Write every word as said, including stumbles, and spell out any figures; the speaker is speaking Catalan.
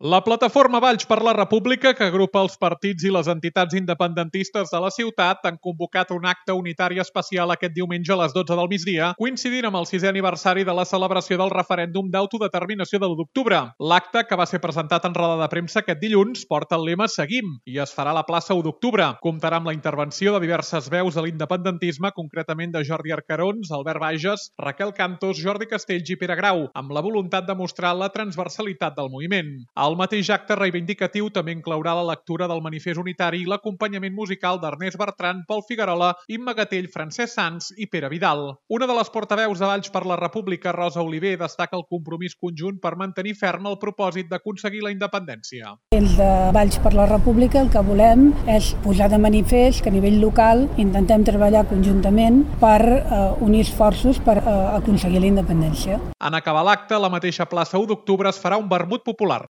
La plataforma Valls per la República, que agrupa els partits i les entitats independentistes de la ciutat, han convocat un acte unitari especial aquest diumenge a les dotze del migdia, coincidint amb el sisè aniversari de la celebració del referèndum d'autodeterminació de l'u d'octubre. L'acte, que va ser presentat en roda de premsa aquest dilluns, porta el lema Seguim i es farà a la plaça u d'octubre. Comptarà amb la intervenció de diverses veus de l'independentisme, concretament de Jordi Arcarons, Albert Bages, Raquel Cantos, Jordi Castells i Pere Grau, amb la voluntat de mostrar la transversalitat del moviment. El mateix acte reivindicatiu també inclourà la lectura del manifest unitari i l'acompanyament musical d'Ernest Bertran, Pol Figuerola, Imma Gatell, Francesc Sans i Pere Vidal. Una de les portaveus de Valls per la República, Rosa Oliver, destaca el compromís conjunt per mantenir ferm el propòsit d'aconseguir la independència. Els de Valls per la República el que volem és posar de manifest que a nivell local intentem treballar conjuntament per eh, unir esforços per eh, aconseguir la independència. En acabar l'acte, a la mateixa plaça u d'octubre es farà un vermut popular.